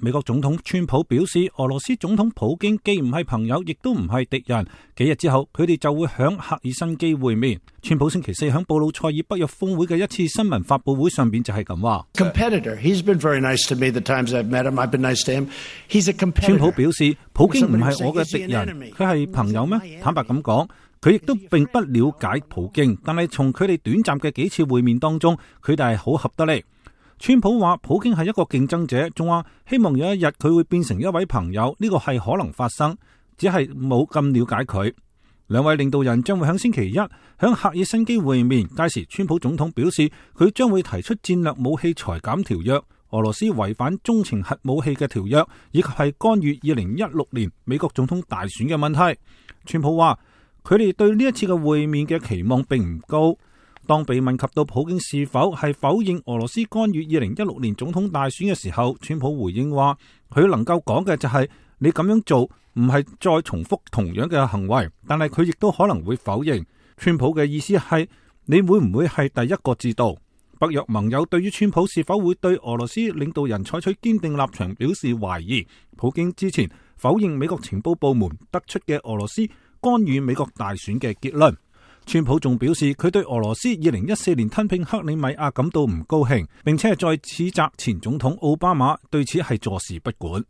美國總統川普表示，俄羅斯總統普京既唔係朋友，亦都唔係敵人。幾日之後，佢哋就會響赫爾辛基會面。川普星期四響布魯塞爾北約峰會嘅一次新聞發佈會上邊就係咁話。川普表示，普京唔係我嘅敵人，佢係朋友咩？坦白咁講，佢亦都並不了解普京，但係從佢哋短暫嘅幾次會面當中，佢哋係好合得嚟。川普話普京係一個競爭者，仲話希望有一日佢會變成一位朋友，呢個係可能發生，只係冇咁了解佢。兩位領導人將會喺星期一喺赫爾辛基會面，屆時川普總統表示佢將會提出戰略武器裁減條約、俄羅斯違反中程核武器嘅條約，以及係干預2016年美國總統大選嘅問題。川普話佢哋對呢一次嘅會面嘅期望並唔高。當被問及到普京是否係否認俄羅斯干預2016年總統大選嘅時候，川普回應話佢能夠講嘅就係你咁樣做唔係再重複同樣嘅行為，但係佢亦都可能會否認。川普嘅意思係你會唔會係第一個知道？北約盟友對於川普是否會對俄羅斯領導人採取堅定立場表示懷疑。普京之前否認美國情報部門得出嘅俄羅斯干預美國大選嘅結論。川普仲表示佢對俄羅斯2014年吞併克里米亞感到唔高興，並且係再指責前總統奧巴馬對此係坐視不管。